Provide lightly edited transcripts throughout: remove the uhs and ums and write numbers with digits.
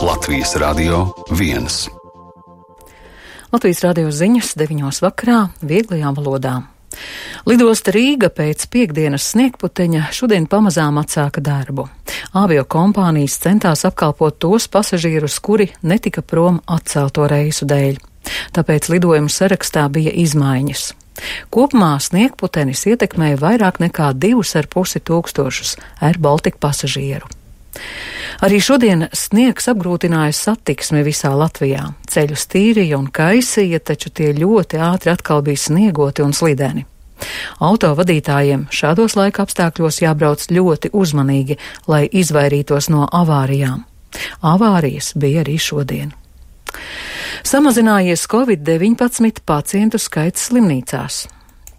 Latvijas Radio 1. Latvijas radio ziņas 9:00 vakarā vieglajā valodā. Lidosta Rīga pēc piektdienas sniegputeņa šodien pamazām atsāka darbu. Aviokompānijas centās apkalpot tos pasažierus, kuri netika prom atcelto reisu dēļ. Tāpēc lidojumu sarakstā bija izmaiņas. Kopumā sniegputenis ietekmēja vairāk nekā 2,5 tūkstošus Air Baltica pasažieru. Arī šodien sniegs apgrūtināja satiksmi visā Latvijā. Ceļus tīrīja un kaisīja, taču tie ļoti ātri atkal bija sniegoti un slideni. Autovadītājiem šādos laika apstākļos jābrauc ļoti uzmanīgi, lai izvairītos no avārijām. Avārijas bija arī šodien. Samazinājies Covid-19 pacientu skaits slimnīcās.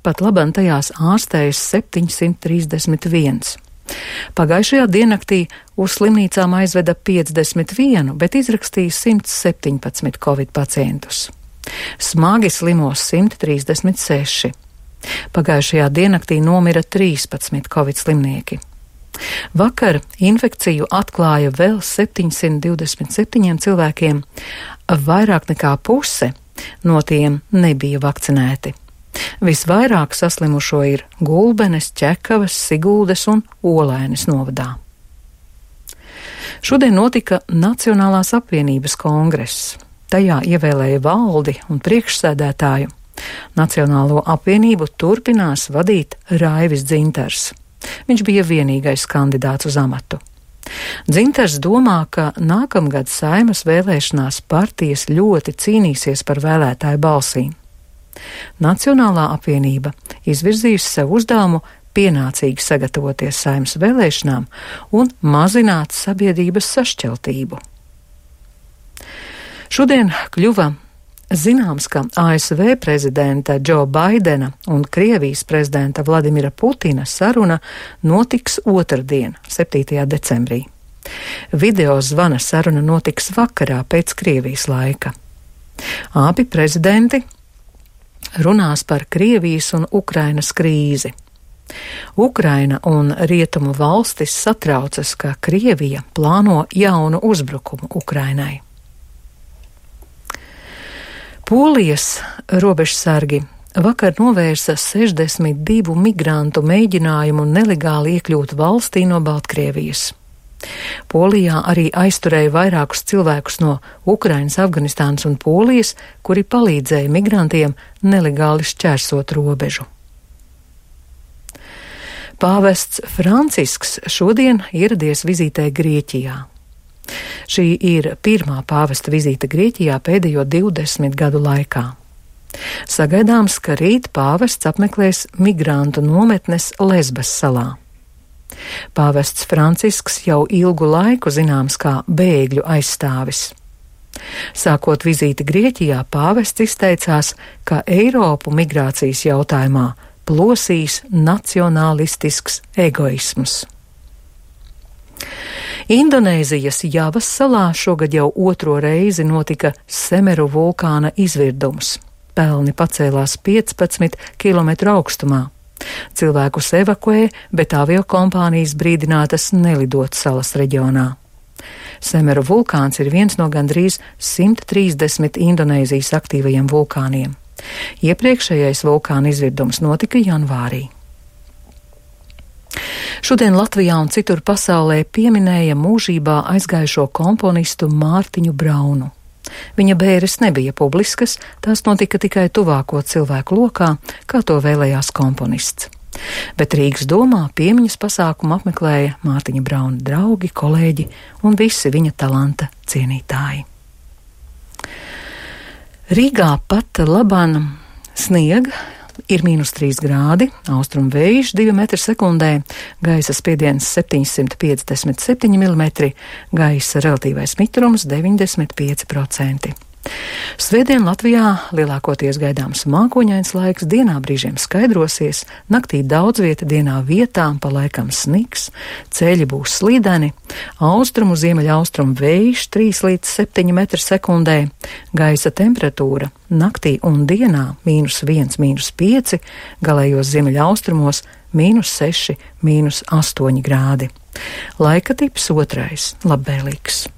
Pat labam tajās ārstējas 731. Pagājušajā diennaktī uz slimnīcām aizveda 51, bet izrakstīja 117 Covid pacientus. Smagi slimos 136. Pagājušajā diennaktī nomira 13 Covid slimnieki. Vakar infekciju atklāja vēl 727 cilvēkiem, vairāk nekā puse no tiem nebija vakcinēti. Visvairāk saslimušo ir Gulbenes, Ķekavas, Siguldes un Olainas novadā. Šodien notika Nacionālās apvienības kongress. Tajā ievēlēja valdi un priekšsēdētāju. Nacionālo apvienību turpinās vadīt Raivis Dzintars. Viņš bija vienīgais kandidāts uz amatu. Dzintars domā, ka nākamgad Saeimas vēlēšanās partijas ļoti cīnīsies par vēlētāju balsīm. Nacionālā apvienība izvirzījusi sev uzdevumu pienācīgi sagatavoties Saeimas vēlēšanām un mazināt sabiedrības sašķeltību. Šodien kļuva zināms, ka ASV prezidenta Džo Baidena un Krievijas prezidenta Vladimira Putina saruna notiks otrdien, 7. decembrī. Video zvana saruna notiks vakarā pēc Krievijas laika. Abi prezidenti runās par Krievijas un Ukrainas krīzi. Ukraina un rietumu valstis satraucas, ka Krievija plāno jaunu uzbrukumu Ukrainai. Polijas robežsargi vakar novērsa 62 migrantu mēģinājumu nelegāli iekļūt valstī no Baltkrievijas. Polijā arī aizturēja vairākus cilvēkus no Ukrainas, Afganistānas un Polijas, kuri palīdzēja migrantiem nelegāli šķērsot robežu. Pāvests Francisks šodien ieradies vizītē Grieķijā. Šī ir pirmā pāvesta vizīte Grieķijā pēdējo 20 gadu laikā. Sagaidāms, ka rīt pāvests apmeklēs migrantu nometnes Lesbas salā. Pāvests Francisks jau ilgu laiku zināms kā bēgļu aizstāvis. Sākot vizīti Grieķijā, pāvests izteicās, ka Eiropu migrācijas jautājumā plosīs nacionālistisks egoisms. Indonēzijas Javas salā šogad jau otro reizi notika Semeru vulkāna izvirdums. Pelni pacēlās 15 km augstumā. Cilvēkus evakuē, bet aviokompānijas brīdinātas nelidot salas reģionā. Semeru vulkāns ir viens no gandrīz 130 Indonēzijas aktīvajiem vulkāniem. Iepriekšējais vulkāna izvirdums notika janvārī. Šodien Latvijā un citur pasaulē pieminēja mūžībā aizgājušo komponistu Mārtiņu Braunu. Viņa bēres nebija publiskas, tās notika tikai tuvāko cilvēku lokā, kā to vēlējās komponists. Bet Rīgas domā piemiņas pasākumu apmeklēja Mārtiņa Brauna draugi, kolēģi un visi viņa talanta cienītāji. Rīgā pat labam sniega. Ir -3 grādi, austrumu vējš 2 metri sekundē, gaisa spiediens 757 mm, gaisa relatīvais mitrums 95%. Svētdien Latvijā lielākoties gaidāms mākoņains laiks, dienā brīžiem skaidrosies, naktī daudz vieta, dienā vietām pa laikam sniks, ceļi būs slīdeni, austrumu ziemeļaustrumu vējš 3 līdz 7 metri sekundē, gaisa temperatūra naktī un dienā -1, -5, galējos ziemeļaustrumos -6, -8 grādi. Laika tips 2. labvēlīgs.